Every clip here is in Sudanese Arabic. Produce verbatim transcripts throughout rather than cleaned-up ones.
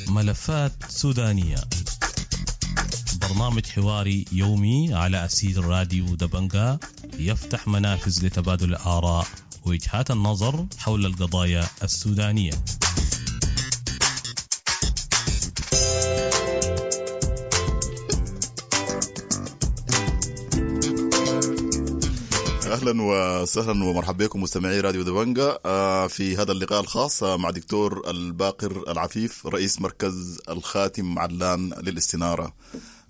ملفات سودانية، برنامج حواري يومي على أسير راديو دبنجا، يفتح منافذ لتبادل الآراء ووجهات النظر حول القضايا السودانية. اهلا وسهلا ومرحبا بكم مستمعي راديو دبنجا في هذا اللقاء الخاص مع دكتور الباقر العفيف رئيس مركز الخاتم علان للاستنارة.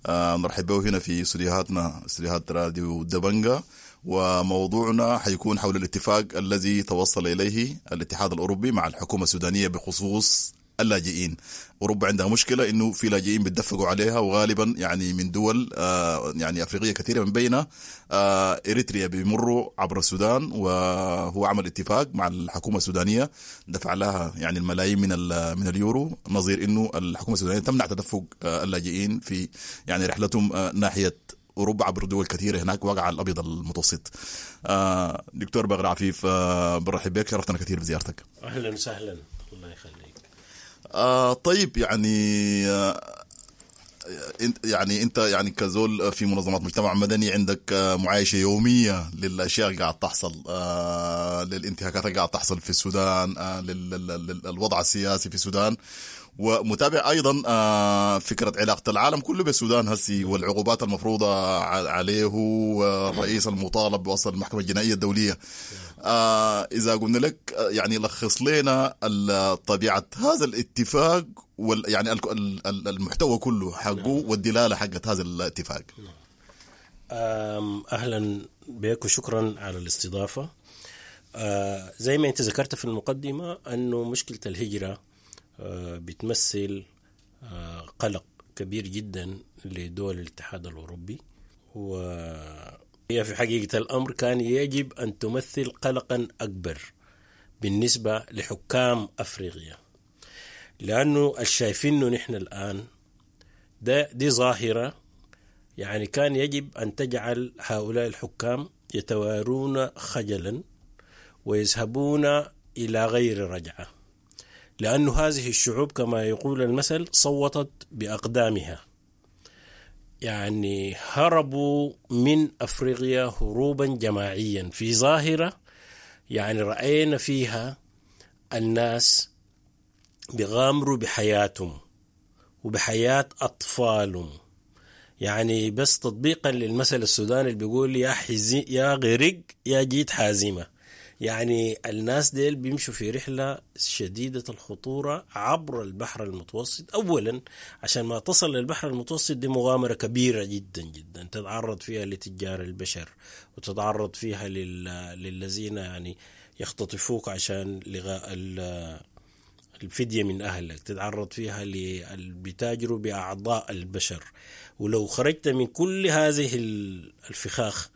نرحب به هنا في استديوهاتنا، استديوهات راديو دبنجا، وموضوعنا حيكون حول الاتفاق الذي توصل اليه الاتحاد الاوروبي مع الحكومة السودانية بخصوص اللاجئين. أوروبا عندها مشكلة إنه في لاجئين بيتدفقوا عليها، وغالبا يعني من دول آه يعني أفريقية كثيرة من بينها آه إريتريا، بيمروا عبر السودان، وهو عمل اتفاق مع الحكومة السودانية دفع لها يعني الملايين من من اليورو، نظير إنه الحكومة السودانية تمنع تدفق آه اللاجئين في يعني رحلتهم آه ناحية أوروبا عبر دول كثيرة هناك وقع الأبيض المتوسط. آه دكتور باقر عفيف، آه برحب بك، شرفتنا كثير بزيارتك. أهلا وسهلا، الله يخليك. آه طيب، يعني آه يعني انت يعني كزول في منظمات مجتمع مدني عندك آه معايشه يومية للاشياء اللي قاعد تحصل، آه للانتهاكات اللي قاعد تحصل في السودان، آه للوضع السياسي في السودان، ومتابع ايضا آه فكرة علاقة العالم كله بالسودان هسي والعقوبات المفروضة عليه، والرئيس المطالب بوصل المحكمة الجنائية الدولية. آه اذا قلنا لك يعني لخص لنا طبيعة هذا الاتفاق وال يعني المحتوى كله حقه والدلالة حقت هذا الاتفاق. اهلا بك وشكرا على الاستضافة. آه زي ما انت ذكرت في المقدمة انه مشكلة الهجرة بتمثل قلق كبير جدا لدول الاتحاد الأوروبي، وهي في حقيقة الأمر كان يجب أن تمثل قلقا أكبر بالنسبة لحكام أفريقيا، لأنه الشايفينه نحن الآن ده دي ظاهرة يعني كان يجب أن تجعل هؤلاء الحكام يتوارون خجلا ويذهبون إلى غير رجعة، لأن هذه الشعوب كما يقول المثل صوتت بأقدامها، يعني هربوا من أفريقيا هروبا جماعيا في ظاهرة يعني رأينا فيها الناس بيغامروا بحياتهم وبحياة أطفالهم. يعني بس تطبيقا للمثل السوداني اللي بيقول يا حزي يا غرق يا جيت حازمة، يعني الناس ديل بيمشوا في رحلة شديدة الخطورة عبر البحر المتوسط. أولا عشان ما تصل للبحر المتوسط دي مغامرة كبيرة جدا جدا، تتعرض فيها لتجار البشر وتتعرض فيها لل... للذين يعني يختطفوك عشان لغاء الفدية من أهلك، تتعرض فيها للبتاجروا بأعضاء البشر. ولو خرجت من كل هذه الفخاخ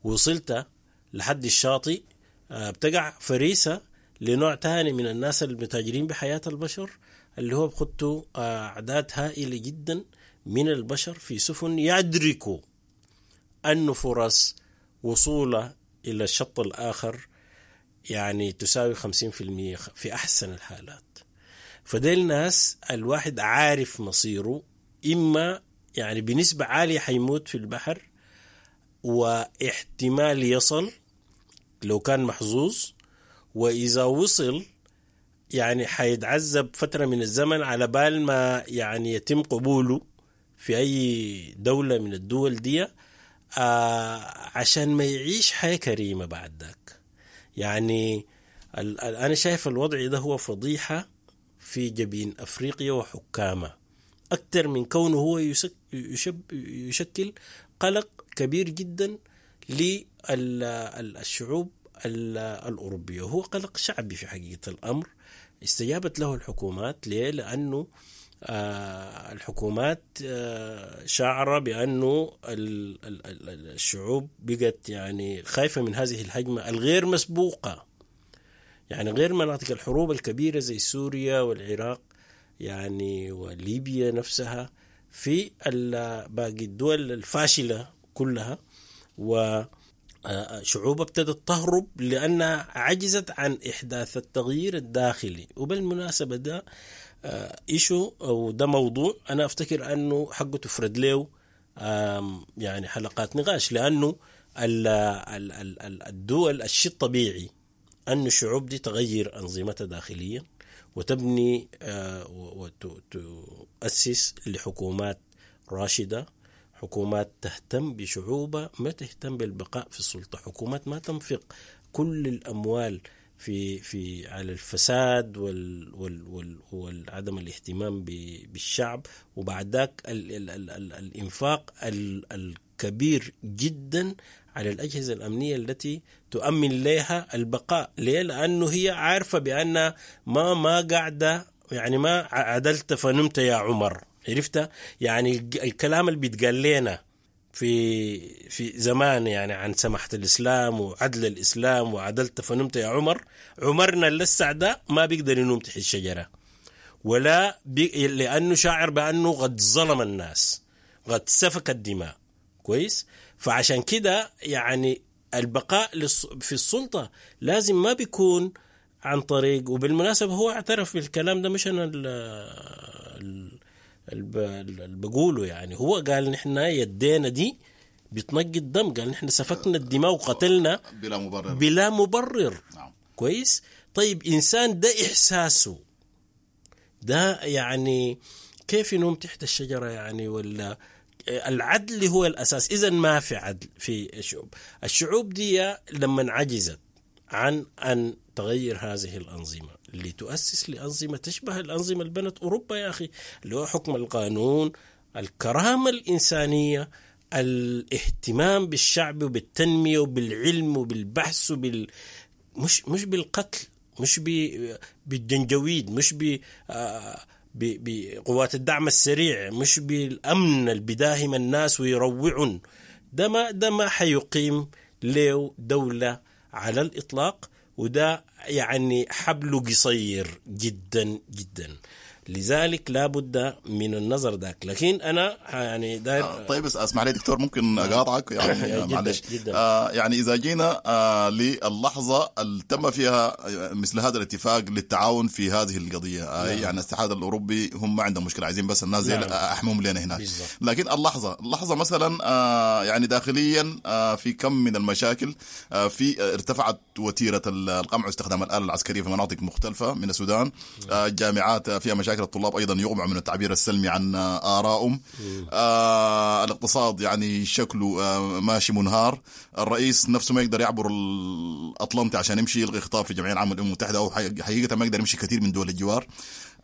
وصلت لحد الشاطئ بتقع فريسة لنوع تاني من الناس المتاجرين بحياة البشر، اللي هو بخطوا أعداد هائلة جدا من البشر في سفن يدركوا أن فرص وصوله إلى الشط الآخر يعني تساوي خمسين في المية في أحسن الحالات. فديل ناس الواحد عارف مصيره، إما يعني بنسبة عالية حيموت في البحر واحتمال يصل لو كان محظوظ، وإذا وصل يعني حيتعذب فترة من الزمن على بال ما يعني يتم قبوله في أي دولة من الدول دي، آه عشان ما يعيش حياة كريمة بعد ذاك. يعني أنا شايف الوضع ده هو فضيحة في جبين أفريقيا وحكامها، أكثر من كونه هو يشب يشكل قلق كبير جدا للشعوب الأوروبية. هو قلق شعبي في حقيقة الأمر استجابت له الحكومات. ليه؟ لأنه الحكومات شعر بأنه الشعوب بقت يعني خايفة من هذه الهجمة الغير مسبوقة، يعني غير مناطق الحروب الكبيرة زي سوريا والعراق يعني وليبيا نفسها، في باقي الدول الفاشلة كلها. و شعوب ابتدت تهرب لأنها عجزت عن إحداث التغيير الداخلي. وبالمناسبة ده issue أو ده موضوع أنا أفتكر أنه حقه تفرد له يعني حلقات نقاش، لأنه الدول الشيء الطبيعي أن الشعوب دي تغير أنظمتها داخليا وتبني وتؤسس لحكومات راشدة، حكومات تهتم بشعوبها ما تهتم بالبقاء في السلطة، حكومات ما تنفق كل الأموال في في على الفساد وال وال وال والعدم الاهتمام بالشعب، وبعد ذاك ال ال ال ال الإنفاق ال الكبير جدا على الأجهزة الأمنية التي تؤمن لها البقاء. ليه؟ لأنه هي عارفة بأن ما ما قاعدة، يعني ما عدلت فنمت يا عمر، عرفت؟ يعني الكلام اللي بيتقال لنا في في زمان يعني عن سماحة الإسلام وعدل الإسلام وعدلت فنمت يا عمر، عمرنا لسه ده ما بيقدر ينوم تحت الشجرة، ولا بي لأنه شاعر بأنه قد ظلم الناس، قد سفك الدماء. كويس؟ فعشان كده يعني البقاء في السلطة لازم ما بيكون عن طريق، وبالمناسبة هو اعترف بالكلام ده، مش أنا ال اللي بقوله، يعني هو قال نحن يدينا دي بتنقي الدم، قال نحن سفكنا الدماء وقتلنا بلا مبرر، بلا مبرر. نعم. كويس؟ طيب إنسان ده إحساسه ده يعني كيف ينوم تحت الشجرة يعني؟ ولا العدل هو الأساس. إذن ما في عدل في الشعوب. الشعوب دي لما عجزت عن أن تغير هذه الأنظمة اللي تؤسس لأنظمة تشبه الأنظمة اللي بنت أوروبا يا أخي، اللي هو حكم القانون، الكرامة الإنسانية، الاهتمام بالشعب وبالتنمية وبالعلم وبالبحث وبال... مش مش بالقتل، مش ب... بالجنجويد، مش ب... بقوات الدعم السريع، مش بالأمن اللي بداهم الناس ويروعون. ده ما ده ما حيقيم له دولة على الإطلاق، وده يعني حبله قصير جدا جدا. لذلك لا بد من النظر ذاك. لكن أنا يعني داير آه طيب بس اسمح لي دكتور، ممكن أقاطعك يعني معلش. آه يعني إذا جينا آه للحظة اللي تم فيها مثل هذا الاتفاق للتعاون في هذه القضية، آه نعم. يعني الاتحاد الأوروبي هم ما عندهم مشكلة، عايزين بس الناس نعم. أحمهم لنا هناك. بالزبط. لكن اللحظة اللحظة مثلا آه يعني داخليا آه في كم من المشاكل، آه في ارتفعت وتيرة القمع واستخدام الآلة العسكرية في مناطق مختلفة من السودان، آه الجامعات فيها مشاكل، الطلاب أيضا يغمعوا من التعبير السلمي عن آرائهم، آه الاقتصاد يعني شكله آه ماشي منهار، الرئيس نفسه ما يقدر يعبر الأطلنطي عشان يمشي يلغي خطاب في الجمعية العامة للأمم المتحدة، أو حقيقة ما يقدر يمشي كثير من دول الجوار.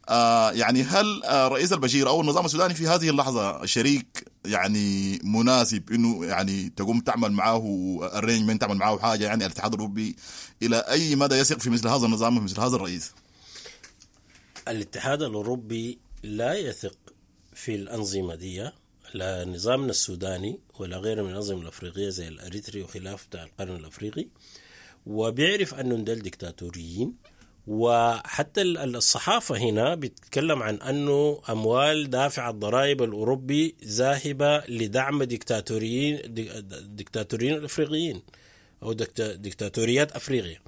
آه يعني هل آه رئيس البشير أو النظام السوداني في هذه اللحظة شريك يعني مناسب إنه يعني تقوم تعمل معاه arrangement، تعمل معاه حاجة؟ يعني الاتحاد الأوروبي إلى أي مدى يثق في مثل هذا النظام ومثل هذا الرئيس؟ الاتحاد الأوروبي لا يثق في الأنظمة دي، لا نظامنا السوداني ولا غيره من الأنظمة الأفريقية زي الأريتري وخلاف بتاع القرن الأفريقي، وبيعرف أنهم دول ديكتاتوريين. وحتى الصحافة هنا بتتكلم عن أنه أموال دافع الضرائب الأوروبي ذاهبة لدعم ديكتاتوريين ديكتاتوريين الأفريقيين أو ديكتاتوريات أفريقيا.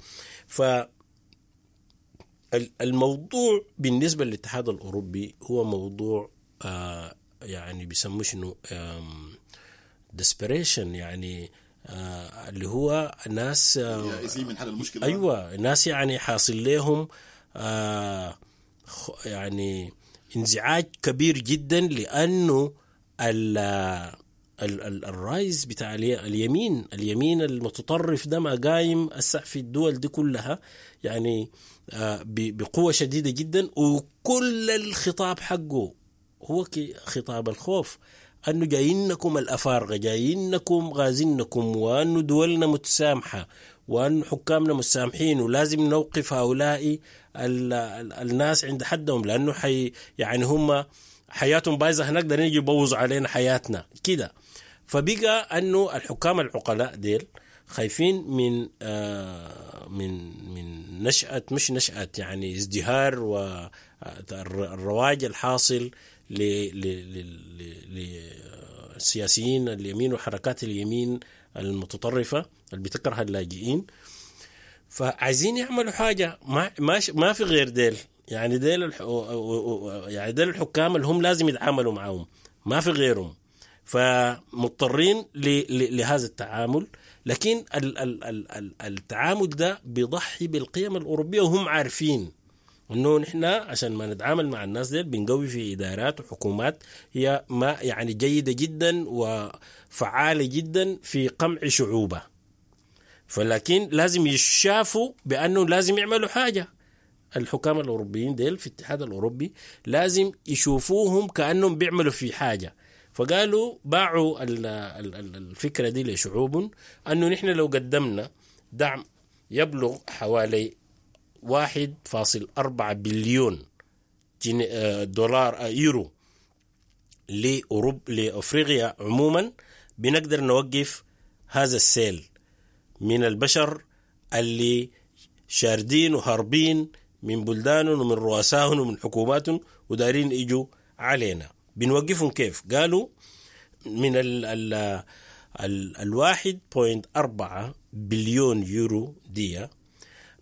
ف الموضوع بالنسبة للاتحاد الأوروبي هو موضوع آه يعني بيسموه شنو، desperation، يعني آه اللي هو ناس آه من حل المشكلة. أيوة، ناس يعني حاصل لهم آه يعني انزعاج كبير جدا، لأنه ال ال الرايز بتاع اليمين اليمين المتطرف ده ما قايم هسه في الدول دي كلها يعني بقوة شديدة جدا، وكل الخطاب حقه هو خطاب الخوف، أنه جايينكم الأفارقة، جايينكم غازينكم، وأنه دولنا متسامحة، وأن حكامنا متسامحين، ولازم نوقف هؤلاء الناس عند حدهم، لأنه حي يعني هم حياتهم بايظة هناك، دارين يجي يبوظوا علينا حياتنا كده. فبقى أنه الحكام العقلاء ديل خايفين من آه من من نشأة، مش نشأة يعني ازدهار والرواج الحاصل للسياسيين اليمين وحركات اليمين المتطرفة اللي بتكره اللاجئين. فعايزين يعملوا حاجة، ما ما ما في غير ديل، يعني ديل الح... يعني ديل الحكام اللي هم لازم يتعاملوا معاهم، ما في غيرهم، فمضطرين ل... ل... لهذا التعامل. لكن ال... ال... ال... التعامل ده بيضحي بالقيم الأوروبية، وهم عارفين انه نحن عشان ما نتعامل مع الناس ديل بنقوي في ادارات وحكومات هي ما يعني جيدة جدا وفعاله جدا في قمع شعوبها، فلكن لازم يشافوا بانه لازم يعملوا حاجة. الحكام الاوروبيين ديل في الاتحاد الاوروبي لازم يشوفوهم كانهم بيعملوا في حاجة، فقالوا باعوا الفكرة دي لشعوبهم انه نحن لو قدمنا دعم يبلغ حوالي واحد فاصل أربعة بليون دولار يورو لأوروب لأفريقيا عموما، بنقدر نوقف هذا السيل من البشر اللي شاردين وهاربين من بلدانهم ومن رؤسائهم ومن حكوماتهم ودارين يجوا علينا. بنوقفهم كيف؟ قالوا من ال ال ال الواحد point أربعة بليون يورو دي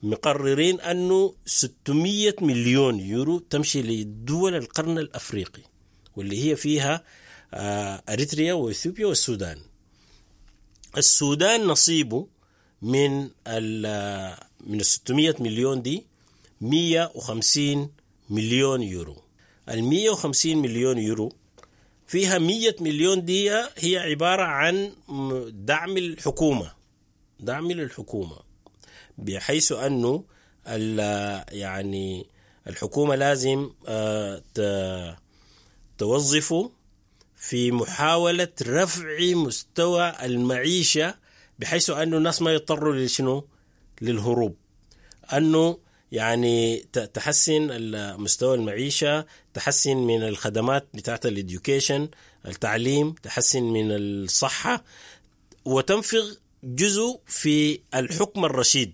مقررين أنه ستمية مليون يورو تمشي لدول القرن الأفريقي واللي هي فيها أريتريا وإثيوبيا والسودان. السودان نصيبه من ال من ستمية مليون دي مية وخمسين مليون يورو. ال مية وخمسين مليون يورو فيها مية مليون دي هي عبارة عن دعم الحكومة، دعم للحكومة، بحيث أنه يعني الحكومة لازم توظفه في محاولة رفع مستوى المعيشة، بحيث أنه الناس ما يضطروا لشنو؟ للهروب. أنه يعني تحسن مستوى المعيشة، تحسن من الخدمات بتاعت الإديوكيشن، التعليم، تحسن من الصحة، وتنفق جزء في الحكم الرشيد.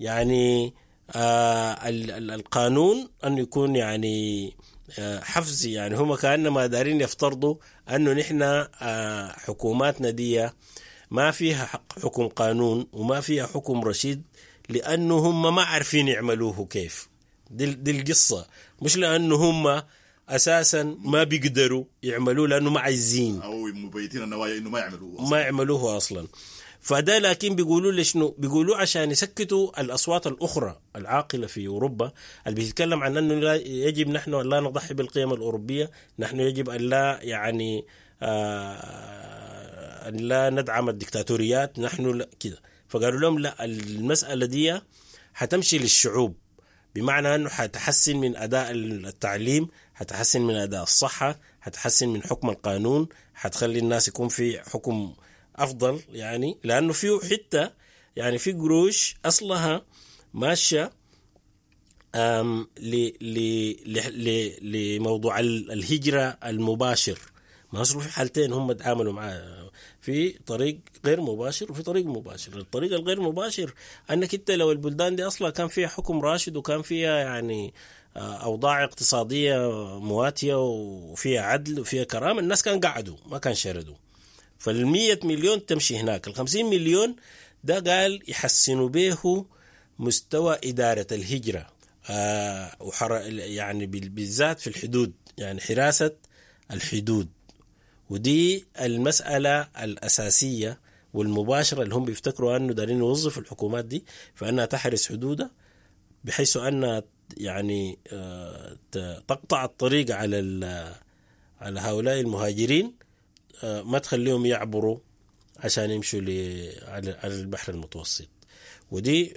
يعني آه القانون أنه يكون يعني آه حفزي. يعني هم كأنما دارين يفترضوا أنه نحن آه حكوماتنا دي ما فيها حكم قانون وما فيها حكم رشيد، لأنه هم ما عارفين يعملوه كيف. دي, دي القصة، مش لأنه هم أساساً ما بيقدروا يعملوه لأنه ما عايزين أو مبيتين النوايا إنه ما يعملوه أصلاً. ما يعملوه أصلاً. فده لكن بيقولوا لشنو؟ بيقولوا عشان يسكتوا الأصوات الأخرى العاقلة في أوروبا اللي بيتكلم عن أنه لا يجب نحن أن لا نضحي بالقيم الأوروبية، نحن يجب أن لا يعني آه أن لا ندعم الدكتاتوريات، نحن لا كده. فقالوا لهم لا، المسألة دي حتمشي للشعوب، بمعنى أنه حتحسن من أداء التعليم، حتحسن من أداء الصحة، حتحسن من حكم القانون، حتخلي الناس يكون في حكم أفضل. يعني لأنه فيه حتى يعني في قروش أصلها ماشية لموضوع الهجرة المباشر. ما أصله في حالتين هم تعاملوا معاه، في طريق غير مباشر وفي طريق مباشر. الطريق الغير مباشر أنك أنت لو البلدان دي أصلا كان فيها حكم راشد وكان فيها يعني أوضاع اقتصادية مواتية وفيها عدل وفيها كرامة، الناس كان قعدوا ما كان شردوا. فالمية مليون تمشي هناك. الخمسين مليون ده قال يحسنوا به مستوى إدارة الهجرة آه يعني بالذات في الحدود، يعني حراسة الحدود. ودي المسألة الأساسية والمباشرة اللي هم بيفتكروا أنه دارين يوظفوا الحكومات دي فأنها تحرس حدودها، بحيث أنها يعني تقطع الطريق على على هؤلاء المهاجرين، ما تخليهم يعبروا عشان يمشوا على البحر المتوسط. ودي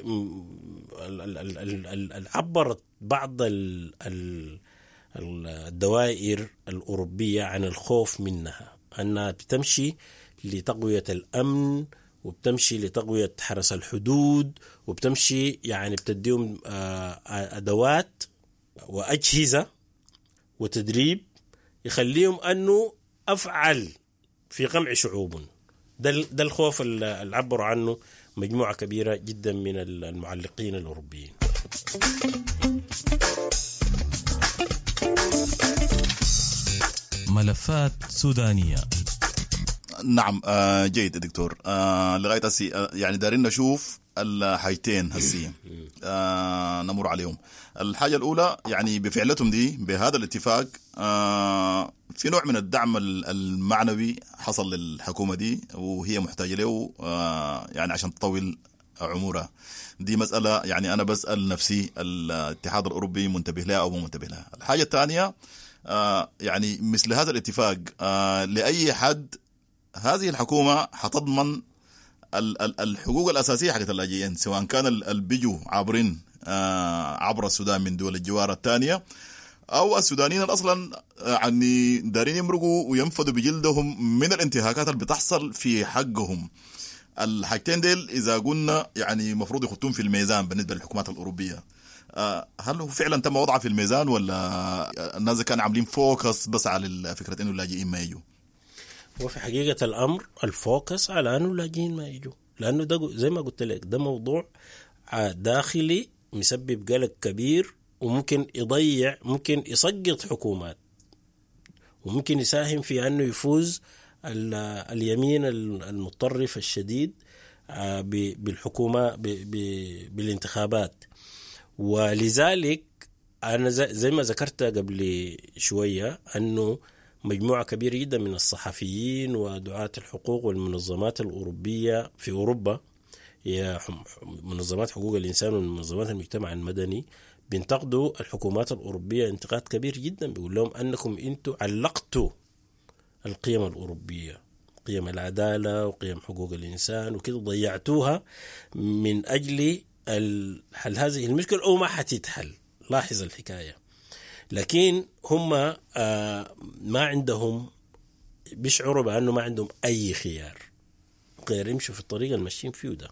عبرت بعض الدوائر الأوروبية عن الخوف منها، أنها بتمشي لتقوية الأمن وبتمشي لتقوية حرس الحدود وبتمشي يعني بتديهم أدوات وأجهزة وتدريب يخليهم أنه أفعل في قمع شعوب. ده ده الخوف اللي عبروا عنه مجموعة كبيرة جدا من المعلقين الأوروبيين. ملفات سودانية. نعم آه جيد دكتور. آه لغاية هسي آه يعني دارين نشوف الحاجتين هسي آه نمر عليهم. الحاجة الاولى يعني بفعلتهم دي بهذا الاتفاق آه في نوع من الدعم المعنوي حصل للحكومة دي وهي محتاجه له آه يعني عشان تطول عمرها. دي مسألة يعني أنا بسأل نفسي الاتحاد الأوروبي منتبه لها أو مو منتبه لها. الحاجة الثانية آه يعني مثل هذا الاتفاق آه لأي حد هذه الحكومة حتضمن الحقوق الأساسية حقت اللاجئين، سواء كان البيجوا عابرين آه عبر السودان من دول الجوار الثانية أو السودانيين أصلا يعني دارين يمرقوا وينفذوا بجلدهم من الانتهاكات اللي بتحصل في حقهم. الحاجتين ديل إذا قلنا يعني مفروض يخطون في الميزان بالنسبة للحكومات الأوروبية، هل هو فعلا تم وضعه في الميزان ولا الناس كانوا عاملين focus بس على فكرة إنه اللاجئين ما يجوا؟ هو في حقيقة الأمر ال focus على أنه اللاجئين ما يجوا، لأنه ده زي ما قلت لك ده موضوع داخلي مسبب قلق كبير، وممكن يضيع، ممكن يسقط حكومات، وممكن يساهم في أنه يفوز اليمين المتطرف الشديد بالحكومة بالانتخابات. ولذلك أنا زي ما ذكرت قبل شوية أنه مجموعة كبيرة جدا من الصحفيين ودعاة الحقوق والمنظمات الأوروبية في أوروبا، هي منظمات حقوق الإنسان ومنظمات المجتمع المدني، بينتقدوا الحكومات الأوروبية انتقاد كبير جدا، بيقول لهم أنكم أنتوا علقتوا القيم الأوروبية، قيم العدالة وقيم حقوق الإنسان وكده، ضيعتوها من أجل حل هذه المشكلة أو ما حتتحل. لاحظ الحكاية. لكن هم ما عندهم، بيشعروا بأنه ما عندهم أي خيار غير يمشوا في الطريق الماشيين فيه ده.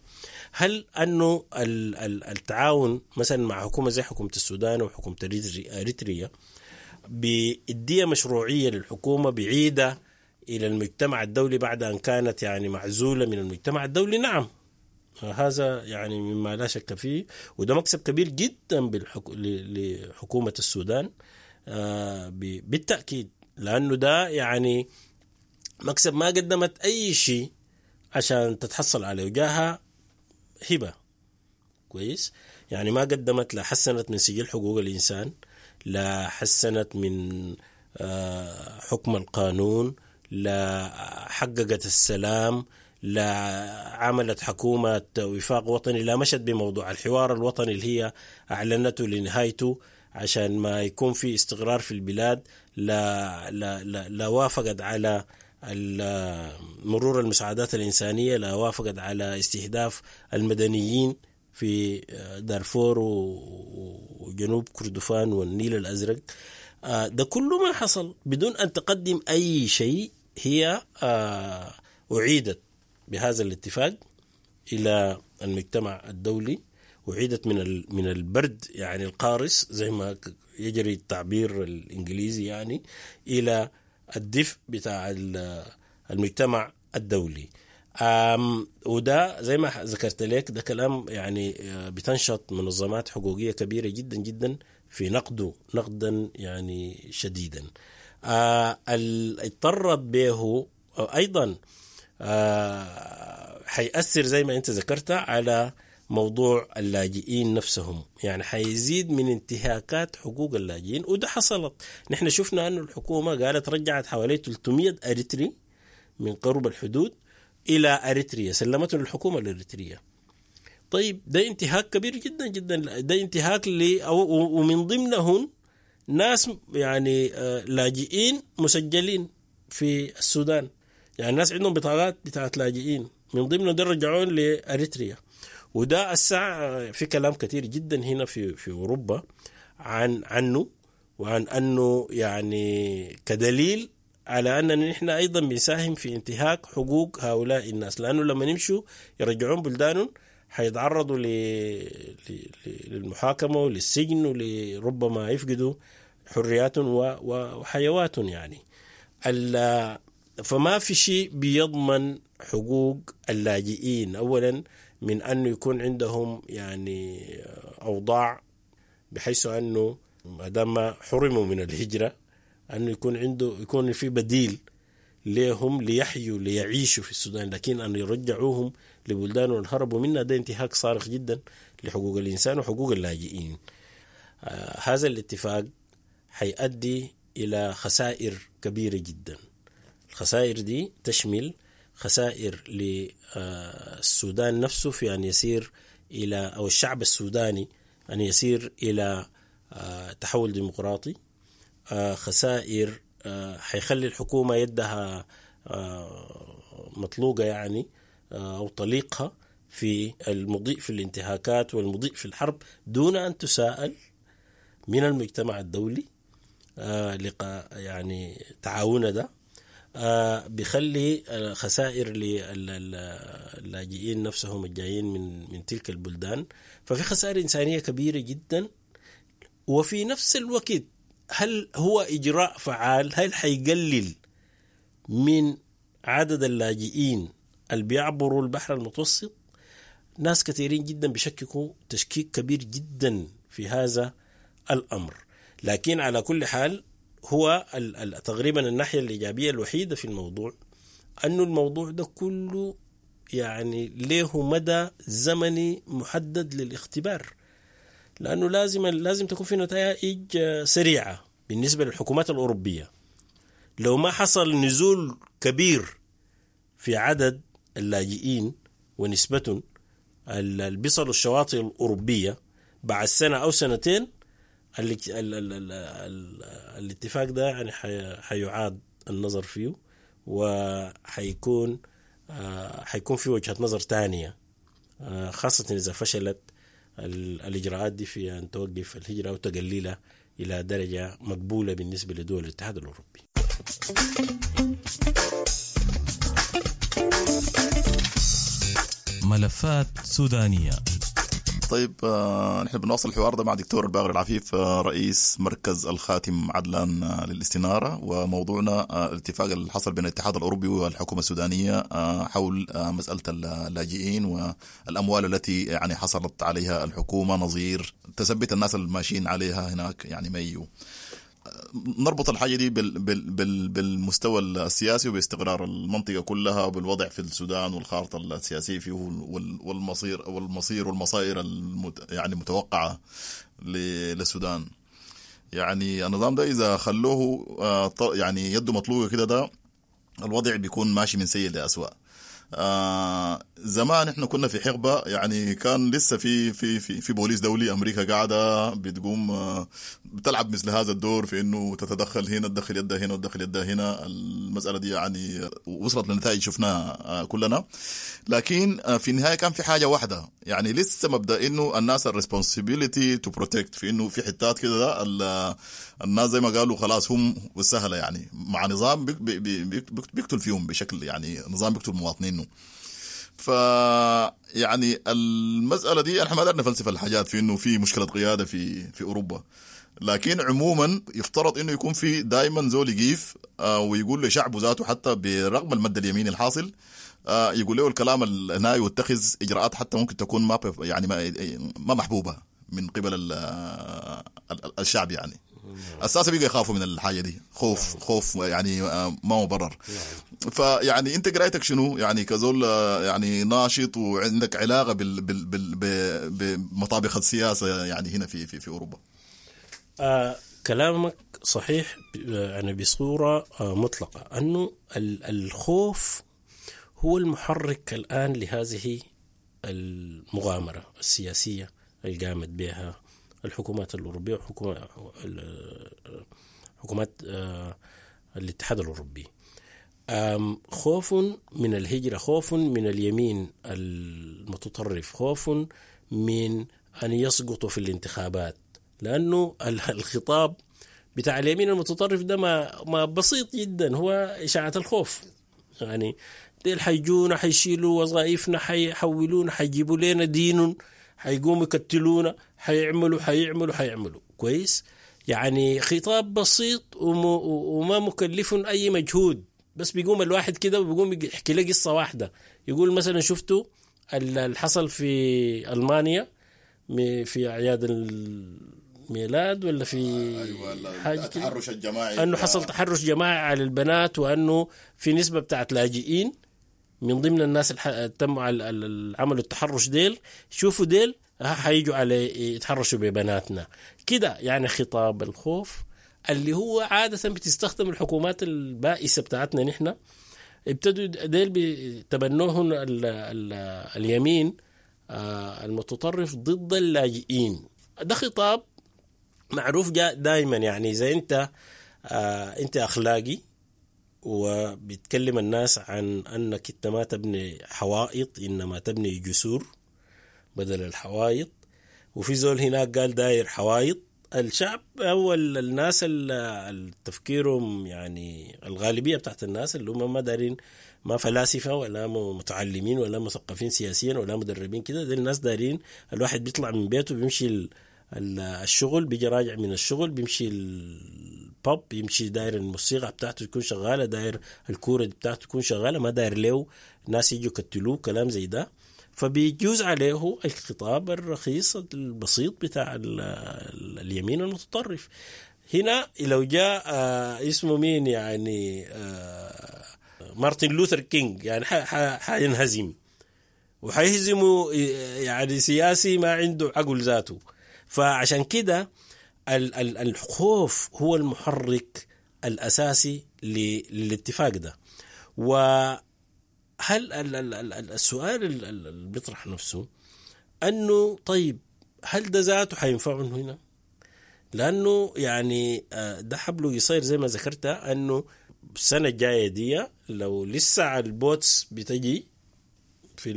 هل أنه التعاون مثلا مع حكومة زي حكومة السودان وحكومة أريتريا بيديها مشروعية للحكومة بعيدة إلى المجتمع الدولي بعد أن كانت يعني معزولة من المجتمع الدولي؟ نعم، هذا يعني مما لا شك فيه، وده مكسب كبير جدا بالحك... لحكومة السودان بالتأكيد، لأنه ده يعني مكسب ما قدمت أي شيء عشان تتحصل عليه، وجاها هبة. كويس، يعني ما قدمت، لا حسنت من سجل حقوق الإنسان، لا حسنت من حكم القانون، لا حققت السلام، لا عملت حكومة وفاق وطني، لا مشت بموضوع الحوار الوطني اللي هي أعلنته لنهايته عشان ما يكون في استقرار في البلاد، لا, لا, لا, لا وافقت على مرور المساعدات الإنسانية، لا وافقت على استهداف المدنيين في دارفور وجنوب كردفان والنيل الأزرق. ده كله ما حصل بدون أن تقدم أي شيء. هي أعيدت بهذا الاتفاق إلى المجتمع الدولي، أعيدت من من البرد يعني القارس زي ما يجري التعبير الإنجليزي يعني، إلى الدفء بتاع المجتمع الدولي. وده زي ما ذكرت لك ده كلام يعني بتنشط منظمات حقوقية كبيرة جدا جدا في نقده نقدا يعني شديدا. اضطرت به أيضا حيأثر زي ما أنت ذكرت على موضوع اللاجئين نفسهم، يعني حيزيد من انتهاكات حقوق اللاجئين، وده حصلت. نحن شفنا أن الحكومة قالت رجعت حوالي ثلاثمئة أريتري من قرب الحدود إلى أريتريا، سلمته للحكومة الأريترية. طيب ده انتهاك كبير جدا جدا، ده انتهاك ل ومن ضمنهم ناس يعني لاجئين مسجلين في السودان، يعني الناس عندهم بطاقات بتاعت لاجئين، من ضمنهم ده رجعون لأريتريا. وده الساعة في كلام كثير جدا هنا في في أوروبا عن عنه، وعن أنه يعني كدليل على أننا نحن أيضا بنساهم في انتهاك حقوق هؤلاء الناس، لأنه لما نمشوا يرجعون بلدانهم حيتعرضوا للمحاكمة وللسجن ولربما يفقدوا حرياتهم وحيواتهم يعني. فما في شيء بيضمن حقوق اللاجئين أولا من أنه يكون عندهم يعني أوضاع بحيث أنه ما دام حرموا من الهجرة أنه يكون عنده يكون في بديل لهم ليحيوا ليعيشوا في السودان، لكن أن يرجعوهم لبلدانهم هربوا منها ده انتهاك صارخ جدا لحقوق الإنسان وحقوق اللاجئين. آه هذا الاتفاق حيؤدي إلى خسائر كبيرة جدا. الخسائر دي تشمل خسائر للسودان نفسه في أن يسير إلى، أو الشعب السوداني أن يسير إلى آه تحول ديمقراطي. آه خسائر آه حيخلي الحكومة يدها آه مطلوقة يعني آه أو طليقها في المضيء في الانتهاكات والمضيء في الحرب دون أن تساءل من المجتمع الدولي. آه لقاء يعني تعاون ده آه بيخلي خسائر للاجئين نفسهم الجايين من من تلك البلدان. ففي خسائر إنسانية كبيرة جدا. وفي نفس الوقت هل هو إجراء فعال؟ هل حيقلل من عدد اللاجئين اللي بيعبروا البحر المتوسط؟ ناس كثيرين جدا بيشككوا تشكيك كبير جدا في هذا الأمر. لكن على كل حال هو تقريبا الناحية الإيجابية الوحيدة في الموضوع أنه الموضوع ده كله يعني له مدى زمني محدد للاختبار، لأنه لازم لازم تكون في نتائج سريعة بالنسبة للحكومات الأوروبية. لو ما حصل نزول كبير في عدد اللاجئين ونسبتهم اللي بيصلوا الشواطئ الأوروبية بعد سنة أو سنتين، ال ال ال ال ال الاتفاق ده يعني حيعاد النظر فيه، وحيكون حيكون في وجهة نظر تانية، خاصة إذا فشلت الإجراءات دي في أن توقف الهجرة وتقللها إلى درجة مقبولة بالنسبة لدول الاتحاد الأوروبي. ملفات سودانية. طيب آه، نحن بنواصل الحوار ده مع دكتور الباقر العفيف آه، رئيس مركز الخاتم عدلان آه، للاستنارة، وموضوعنا آه، الاتفاق اللي حصل بين الاتحاد الأوروبي والحكومة السودانية آه، حول آه، مسألة اللاجئين والأموال التي يعني حصلت عليها الحكومة نظير تثبت الناس الماشيين عليها هناك يعني ميو. نربط الحاجة دي بال بال بال بالمستوى السياسي وباستقرار المنطقة كلها وبالوضع في السودان والخارطة السياسية فيه والمصير والمصير والمصائر المت يعني المتوقعة للسودان. يعني النظام ده إذا خلوه يعني يده مطلوقة كده، ده الوضع بيكون ماشي من سيء لأسوأ. آه زمان احنا كنا في حقبة يعني كان لسه في في في في بوليس دولي، امريكا قاعدة بتقوم آه بتلعب مثل هذا الدور في انه تتدخل هنا، تدخل يدها هنا وتدخل يدها هنا. المسالة دي يعني وصلت لنتائج شفناها آه كلنا، لكن آه في النهاية كان في حاجة واحدة يعني لسه مبدا انه الناس ال responsibility to protect، في انه في حتات كده الناس زي ما قالوا خلاص هم والسهله يعني مع نظام بي بي بي بيقتل فيهم بشكل يعني نظام بيقتل مواطنينه. ف يعني المسألة دي احنا ما قدرنا نفلسف الحاجات في انه في مشكلة قيادة في في اوروبا، لكن عموما يفترض انه يكون في دائما زول يقيف ويقول لشعبه ذاته حتى برغم المد اليميني الحاصل يقول له الكلام الناي ويتخذ اجراءات حتى ممكن تكون ما يعني ما ما محبوبة من قبل الشعب. يعني اساسا بيجي يخافوا من الحاجة دي، خوف خوف يعني ما مبرر. فيعني انت قرايتك شنو يعني كزول يعني ناشط وعندك علاقة بال بال بال بمطابخ السياسة يعني هنا في في في اوروبا؟ آه كلامك صحيح يعني بصورة آه مطلقه، انه الخوف هو المحرك الان لهذه المغامرة السياسية اللي قامت بها الحكومات الأوروبية وحكومات حكومات الاتحاد الأوروبي. خوف من الهجرة، خوف من اليمين المتطرف، خوف من أن يسقطوا في الانتخابات، لأنه الخطاب بتاع اليمين المتطرف ده ما ما بسيط جدا، هو إشاعة الخوف. يعني ديل حيجونا، حيشيلوا وظائفنا، حيحولونا، حيجيبوا لنا دين، حيقوموا يقتلونا، حيعملوا حيعملوا حيعملوا. كويس، يعني خطاب بسيط وما مكلف أي مجهود، بس بيقوم الواحد كده وبيقوم يحكي له قصة واحدة. يقول مثلا شفتوا اللي حصل في ألمانيا في أعياد ميلاد ولا في ايوه حاجة كده التحرش الجماعي انه حصل تحرش جماعي على البنات، وانه في نسبه بتاعت لاجئين من ضمن الناس اللي تم عملوا التحرش ديل، شوفوا ديل حيجوا على يتحرشوا ببناتنا كده. يعني خطاب الخوف اللي هو عادة بتستخدم الحكومات البائسة بتاعتنا نحن، ابتدوا ديل بتبنوهن ال ال اليمين المتطرف ضد اللاجئين. ده خطاب معروف جاء دائما، يعني إذا أنت آه أنت أخلاقي وبيتكلم الناس عن أنك أنت ما تبني حوائط إنما تبني جسور بدل الحوائط، وفي زول هناك قال داير حوائط، الشعب أو الناس اللي تفكيرهم يعني الغالبية بتاعت الناس اللي هم ما دارين، ما فلاسفة ولا متعلمين ولا مثقفين سياسيا ولا مدربين كده، دي الناس دارين الواحد بيطلع من بيته بيمشي الشغل، بيجي راجع من الشغل بيمشي الباب، بيمشي داير الموسيقى بتاعته تكون شغالة، داير الكورة بتاعته تكون شغالة، ما داير له ناس يجوا يقتلوه كلام زي ده. فبيجوز عليه الخطاب الرخيص البسيط بتاع اليمين المتطرف. هنا لو جاء اسمه مين يعني مارتن لوثر كينج، يعني حينهزم وحيهزمه يعني سياسي ما عنده عقل ذاته. فعشان كده الخوف هو المحرك الأساسي للاتفاق ده. وهل السؤال اللي بيطرح نفسه أنه طيب هل ده ذاته حينفعهم هنا؟ لأنه يعني ده حبلة قصير زي ما ذكرت، أنه السنة الجاية دي لو لسه على ال boats بتجي في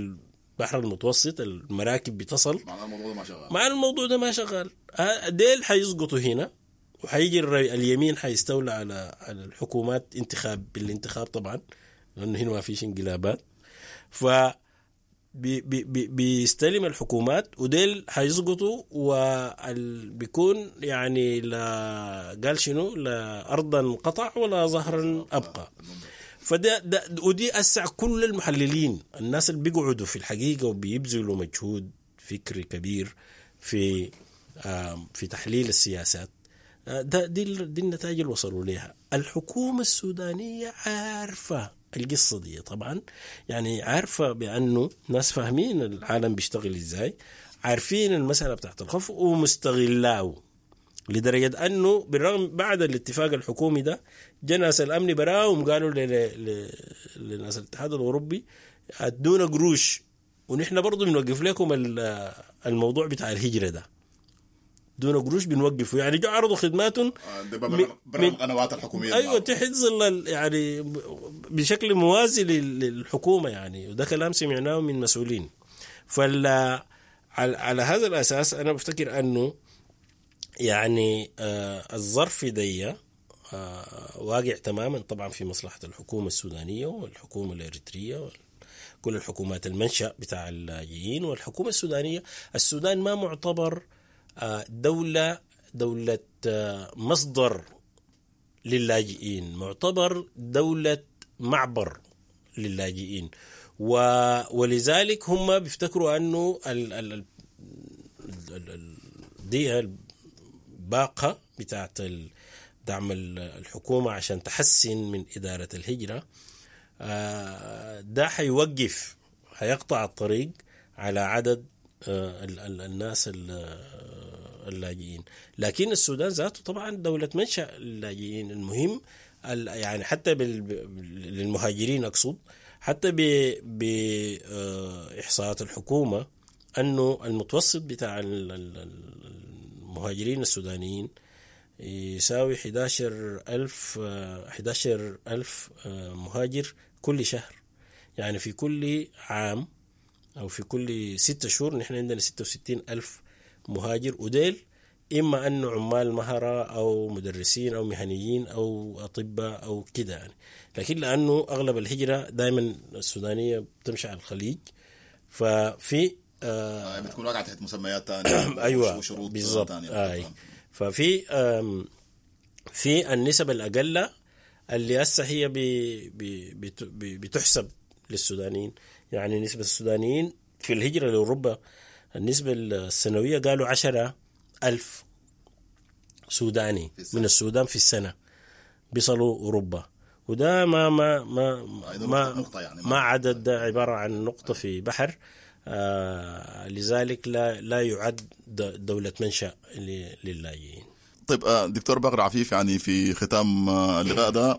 البحر المتوسط المراكب بتصل، مع الموضوع ده ما شغال، مع الموضوع ده ما شغال، ديل حيسقطوا هنا، وحيجي اليمين حيستولى على على الحكومات انتخاب بالانتخاب طبعا، لأنه هنا ما فيش انقلابات، ف بي بي بيستلم الحكومات وديل حيسقطوا، وبيكون يعني لا قال شنو، لا أرضا قطع ولا ظهرا أبقى. فده ده ودي أسع كل المحللين الناس اللي بيقعدوا في الحقيقة وبيبذلوا مجهود فكري كبير في في تحليل السياسات، ده دي دي النتائج اللي وصلوا لها. الحكومة السودانية عارفة القصة دي طبعا، يعني عارفة بأنه ناس فاهمين العالم بيشتغل إزاي، عارفين المسألة بتاعت الخوف ومستغلاه لدرجة أنه بالرغم بعد الاتفاق الحكومي ده جا ناس الأمن براهم قالوا لناس الاتحاد الأوروبي أدونا قروش ونحن برضو بنوقف لكم الموضوع بتاع الهجرة ده، دون قروش بنوقفه. يعني جو عرضوا خدماتهم برا القنوات الحكومية، ايوه تحت ظل يعني بشكل موازي للحكومة يعني، وده كلام سمعناه من مسؤولين. فال على, على هذا الاساس انا بفتكر انه يعني آه الظرف دي آه واقع تماما طبعا في مصلحة الحكومة السودانية والحكومة الاريتريه وكل الحكومات المنشأ بتاع اللاجئين والحكومة السودانية. السودان ما معتبر دولة دولة مصدر للاجئين، معتبر دولة معبر للاجئين، ولذلك هم بيفتكروا أنه ال ال ال دي الباقة بتاعت دعم الحكومة عشان تحسن من إدارة الهجرة ده حيوقف، حيقطع الطريق على عدد الناس اللاجئين. لكن السودان ذاته طبعا دولة منشأ اللاجئين. المهم يعني حتى للمهاجرين أقصد، حتى بإحصاءات الحكومة أنه المتوسط بتاع المهاجرين السودانيين يساوي أحد عشر ألف مهاجر كل شهر. يعني في كل عام أو في كل ستة شهور نحن عندنا ستة وستين ألف مهاجر، وديل إما أنه عمال مهرة أو مدرسين أو مهنيين أو أطباء أو كده يعني. لكن لأنه أغلب الهجرة دائما السودانية بتمشي على الخليج، ففي آه بتكون واقعة تحت مسميات ثانية. أيوة وشروط بالضبط ثانية. آه. ففي في النسب الأقل اللي هسه هي بي بي بي بتحسب للسودانيين. يعني نسبة السودانيين في الهجرة لأوروبا النسبة السنوية قالوا عشرة ألف سوداني من السودان في السنة بيصلوا أوروبا، وده ما ما ما ما, نقطة يعني. ما عدد، ده عبارة عن نقطة في بحر. آه لذلك لا لا يعد دولة منشأ للاجئين. طيب دكتور باقر عفيف، يعني في ختام اللقاء ده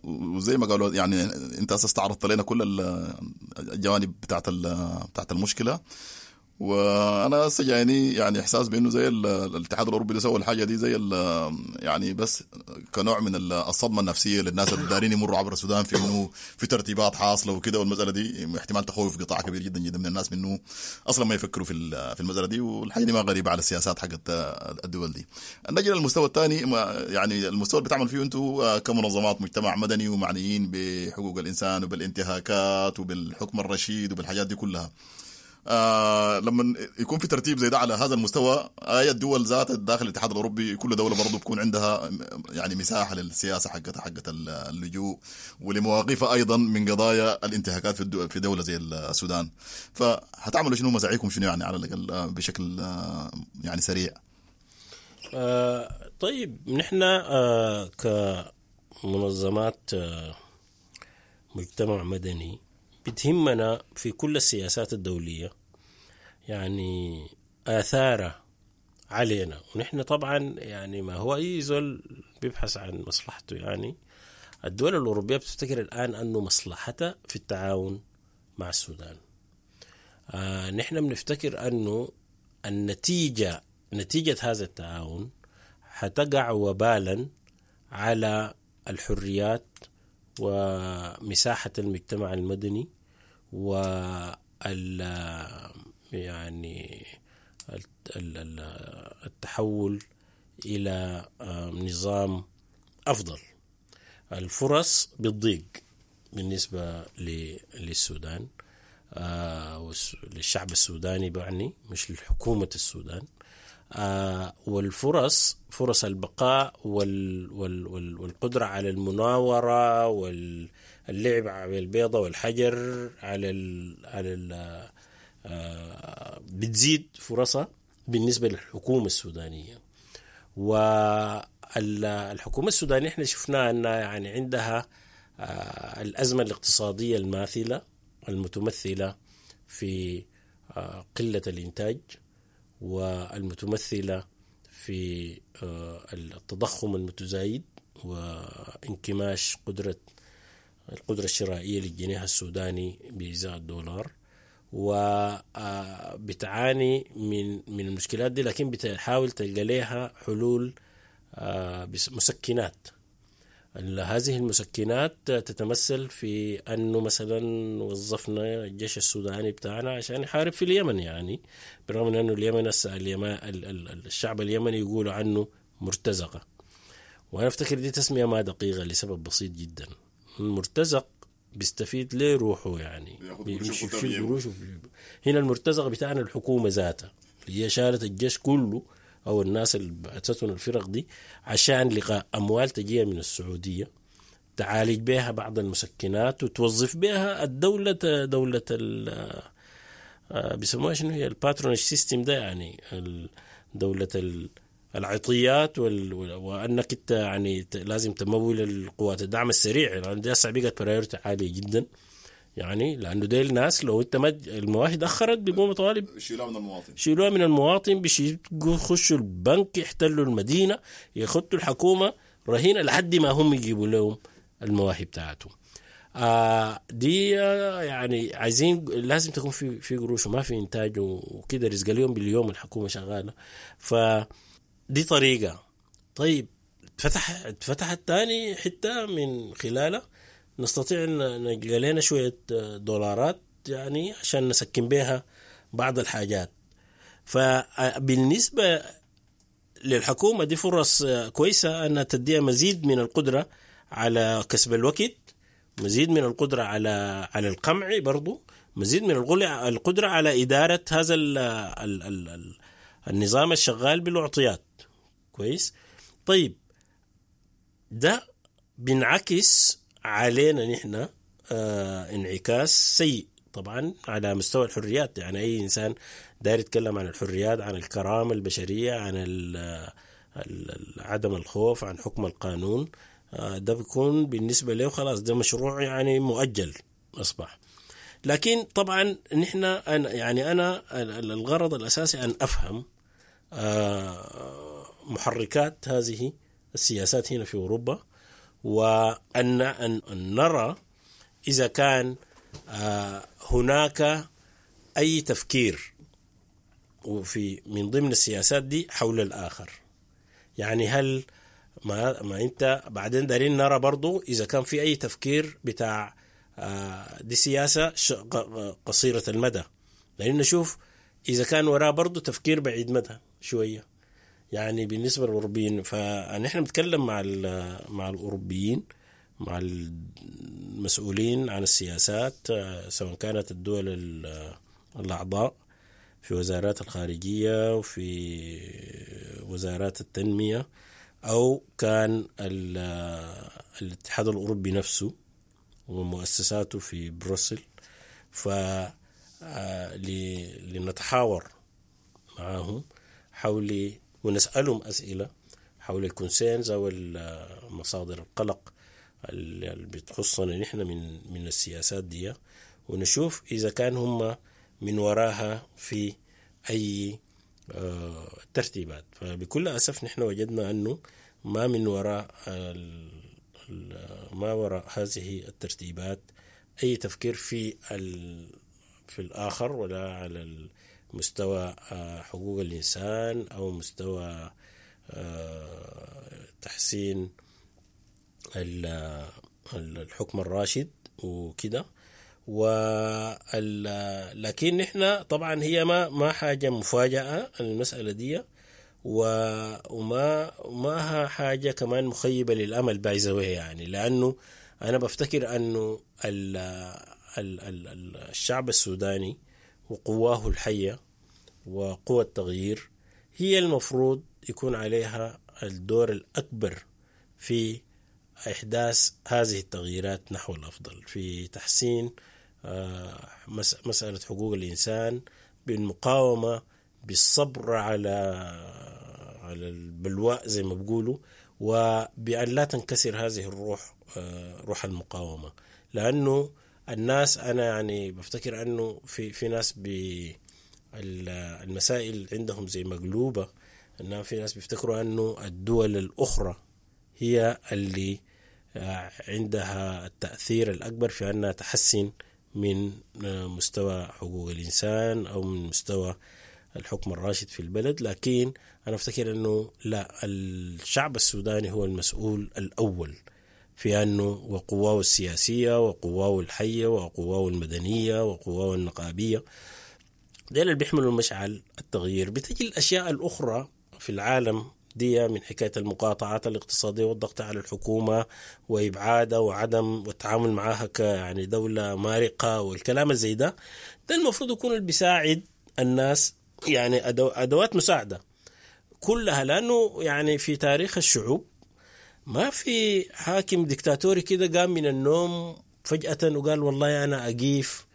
وزي ما قالوا يعني انت اساس استعرضت لنا كل الجوانب بتاعت بتاعت المشكلة، وانا هسه جايني يعني احساس بانه زي الاتحاد الاوروبي اللي سوى الحاجة دي زي يعني بس كنوع من الصدمة النفسية للناس اللي دارين يمروا عبر السودان، في انه في ترتيبات حاصله وكده، والمسالة دي احتمال تخوف قطاع كبير جدا جدا من الناس منه اصلا ما يفكروا في في المسالة دي، والحاجة دي ما غريبة على السياسات حقت الدول دي. نجي للمستوى الثاني، يعني المستوى اللي بتعمل فيه انتم كمنظمات مجتمع مدني ومعنيين بحقوق الانسان وبالانتهاكات وبالحكم الرشيد وبالحاجات دي كلها. آه لما يكون في ترتيب زي ده على هذا المستوى، اي الدول ذات داخل الاتحاد الاوروبي كل دولة برضه بيكون عندها يعني مساحة للسياسة حقتها حقت اللجوء ولمواقفها ايضا من قضايا الانتهاكات في الدول في دولة زي السودان. فهتعملوا شنو؟ مساعيكم شنو يعني على الاقل بشكل يعني سريع؟ آه طيب نحن آه كمنظمات آه مجتمع مدني بتهمنا في كل السياسات الدولية يعني آثاره علينا، ونحن طبعا يعني ما هو أي زول بيبحث عن مصلحته. يعني الدول الأوروبية بتفتكر الآن أنه مصلحتها في التعاون مع السودان. آه نحن بنفتكر أنه النتيجة نتيجة هذا التعاون حتقع وبالا على الحريات ومساحة المجتمع المدني وال يعني التحول إلى نظام أفضل. الفرص بتضيق بالنسبة للسودان، للشعب السوداني بعني، مش لحكومة السودان. والفرص فرص البقاء وال وال وال والقدرة على المناورة واللعب على البيضة والحجر على ال على ال بتزيد فرصها بالنسبة للحكومة السودانية. والحكومة السودانية احنا شفناها أنها يعني عندها الأزمة الاقتصادية الماثلة المتمثلة في قلة الإنتاج والمتمثلة في التضخم المتزايد وانكماش قدرة القدرة الشرائية للجنيه السوداني بإزاء الدولار، وبتعاني من من المشكلات دي، لكن بتحاول تلقى لها حلول مسكنات. هذه المسكنات تتمثل في أنه مثلا وظفنا الجيش السوداني بتاعنا عشان يحارب في اليمن، يعني بالرغم من أنه اليمن الشعب اليمني يقولوا عنه مرتزقة، وأنا أفتكر دي تسمية ما دقيقة لسبب بسيط جدا. المرتزق بيستفيد ليه روحه، يعني بيشيل قروشه. هنا المرتزق بتاعنا الحكومة ذاتها اللي هي شالت الجيش كله أو الناس اللي بعثتهم الفرق دي عشان لقاء أموال تجيها من السعودية تعالج بها بعض المسكنات وتوظف بها الدولة، دولة ال بيسموها شنو هي ال patronage system ده، يعني دولة العطيات وال... وأنك انت يعني لازم تمول القوات الدعم السريع، لأن دي هسه بقت priority عالية جدا، يعني لأنه ديل ناس لو انت ما المواهي أخرت بيقوموا طالب شيلوها من المواطن، شيلوها من المواطن، بيخشوا البنك، يحتلوا المدينة، يخطوا الحكومة رهينة لحد ما هم يجيبوا لهم المواهي بتاعتهم. آه دي آه يعني عايزين لازم تكون في في قروش وما في إنتاج وكده، رزق اليوم باليوم الحكومة شغالة، فدي طريقة. طيب فتح فتحت تاني حتة من خلاله نستطيع أن نلقى لنا شوية دولارات يعني عشان نسكن بها بعض الحاجات. فبالنسبة للحكومة دي فرص كويسة أنها تديها مزيد من القدرة على كسب الوقت، مزيد من القدرة على على القمع برضو، مزيد من القدرة على إدارة هذا ال ال ال ال النظام الشغال بالأعطيات. كويس. طيب ده بنعكس علينا نحن آه انعكاس سيء طبعا على مستوى الحريات. يعني أي إنسان داير يتكلم عن الحريات، عن الكرامة البشرية، عن عدم الخوف، عن حكم القانون، ده بيكون بالنسبة له خلاص ده مشروع يعني مؤجل أصبح. لكن طبعا نحن يعني أنا الغرض الأساسي أن أفهم محركات هذه السياسات هنا في أوروبا، وأن أن نرى إذا كان هناك أي تفكير وفي من ضمن السياسات دي حول الآخر. يعني هل ما, ما أنت بعدين دارين نرى برضو إذا كان في أي تفكير بتاع دي سياسة قصيرة المدى، لأن نشوف إذا كان وراء برضو تفكير بعيد مدى شوية يعني بالنسبة للأوروبيين. فنحن بنتكلم مع مع الأوروبيين، مع المسؤولين عن السياسات سواء كانت الدول الأعضاء في وزارات الخارجية وفي وزارات التنمية، أو كان الاتحاد الأوروبي نفسه ومؤسساته في بروسل، فلنتحاور معهم حول ونسألهم أسئلة حول الكونسيرنز أو مصادر القلق اللي بتخصنا نحن من من السياسات دي، ونشوف إذا كان هم من وراها في أي ترتيبات. فبكل أسف نحن وجدنا أنه ما من وراء ما وراء هذه الترتيبات أي تفكير في في الآخر، ولا على مستوى حقوق الإنسان أو مستوى تحسين الحكم الراشد وكده. لكن نحن طبعا هي ما ما حاجة مفاجأة المسألة دي، وما ما حاجة كمان مخيبة للأمل by the way يعني، لأنه أنا بفتكر أنه ال ال ال الشعب السوداني وقواه الحية وقوى التغيير هي المفروض يكون عليها الدور الأكبر في إحداث هذه التغييرات نحو الأفضل، في تحسين مسألة حقوق الإنسان، بالمقاومة، بالصبر على على البلواء زي ما بيقولوا، وبأن لا تنكسر هذه الروح، روح المقاومة. لأنه الناس أنا يعني بفتكر أنه في في ناس بالمسائل عندهم زي مقلوبة، أنه في ناس بيفتكروا أنه الدول الأخرى هي اللي عندها التأثير الأكبر في أنها تحسن من مستوى حقوق الإنسان أو من مستوى الحكم الراشد في البلد. لكن أنا أفتكر أنه لا، الشعب السوداني هو المسؤول الأول في أنه وقواه السياسية وقواه الحية وقواه المدنية وقواه النقابية، ديل اللي بيحملوا مشعل التغيير. بتجي الأشياء الأخرى في العالم دي من حكاية المقاطعات الاقتصادية والضغط على الحكومة وإبعادها وعدم والتعامل معها كيعني دولة مارقة والكلام زي ده، ده المفروض يكون اللي بيساعد الناس يعني أدو أدوات مساعدة كلها. لأنه يعني في تاريخ الشعوب ما في حاكم ديكتاتوري كده قام من النوم فجأة وقال والله أنا أقيف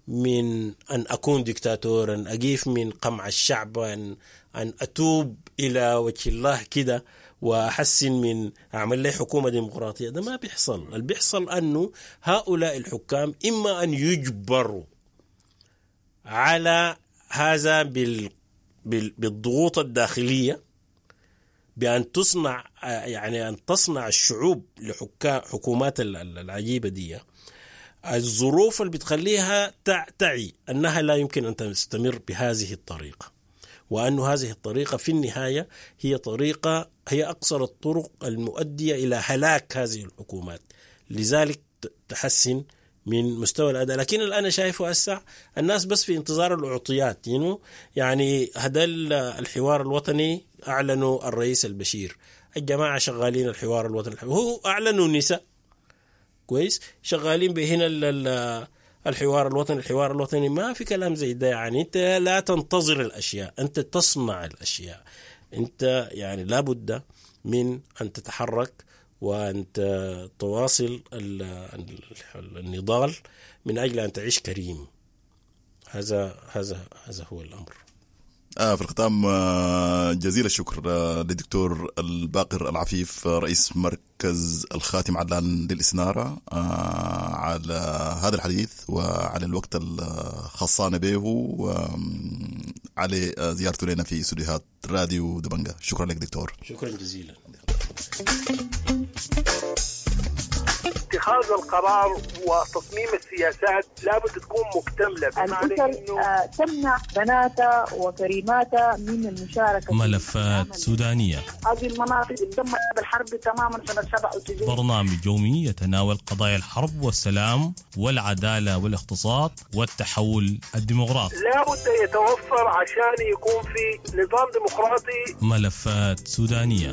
من أن أكون ديكتاتورا، أقيف من قمع الشعب، أن أن أتوب إلى وجه الله كده وأحسن من أعمل لي حكومة ديمقراطية. ده ما بيحصل. اللي بيحصل أنه هؤلاء الحكام إما أن يجبروا على هذا بال بالضغوط الداخلية، بأن تصنع يعني أن تصنع الشعوب لحكام حكومات العجيبة دي الظروف اللي بتخليها تعي أنها لا يمكن أن تستمر بهذه الطريقة، وأن هذه الطريقة في النهاية هي طريقة هي أقصر الطرق المؤدية إلى هلاك هذه الحكومات. لذلك تحسن من مستوى الأداء. لكن اللي أنا شايفه هسه الناس بس في انتظار الأعطيات، يعني هذا الحوار الوطني أعلنوا الرئيس البشير، الجماعة شغالين الحوار الوطني، هو أعلنوا النساء كويس شغالين بهنا الحوار الوطني الحوار الوطني. ما في كلام زي ده. يعني أنت لا تنتظر الأشياء، أنت تصنع الأشياء. أنت يعني لابد من أن تتحرك وأن تواصل النضال من أجل أن تعيش كريم. هذا هذا هذا هو الأمر. آه في الختام آه جزيل الشكر آه للدكتور الباقر العفيف آه رئيس مركز الخاتم علان للإستنارة آه على هذا الحديث وعلى الوقت الخصانا به وعلى زيارته لنا في استوديوهات راديو دبنجا. شكرا لك دكتور. شكرا جزيلا. اتخاذ القرار وتصميم السياسات لابد تكون مكتملة، بمعنى إنه تمنع بناتها وكريماتها من المشاركة. ملفات سودانية، هذه المناطق تدمرت بالحرب تماما سنة سبعة وتسعين. برنامج يومي يتناول قضايا الحرب والسلام والعدالة والاقتصاد والتحول الديمقراطي. لابد يتوفر عشان يكون في نظام ديمقراطي. ملفات سودانية.